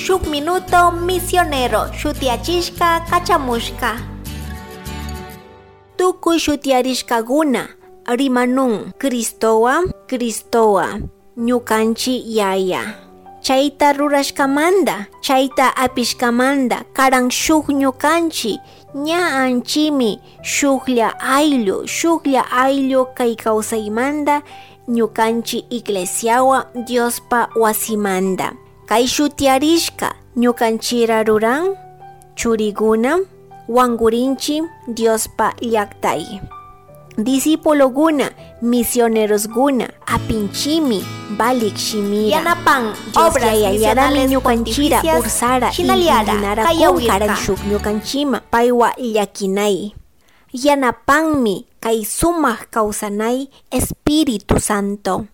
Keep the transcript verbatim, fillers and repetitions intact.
Shuk minuto misionero shutiachishka kachamushka. Tukuy shutiarishkakuna rimanun Cristowa Cristowa ñukanchi yaya. Chayta rurashkamanta, chayta apishkamanta karan shuk ñukanchi ña anchimi shuklla ayllu shuklla ayllu kay kawsaymanta ñukanchi iglesiawa Diospa wasimanta. Kay shutiarishka ñukanchira ruran churiguna wankurinchi Diospa llaktay. Discipuloguna, misionerosguna, apinchimi, valik shimira. Yanapan Dios obras yayallarami misionales ñukanchira pontificias ursara shinallara intinara kayawirka. karan shuk ñukanchima paywa llakinay. Yanapanmi kay sumak kawsanay Espíritu Santo.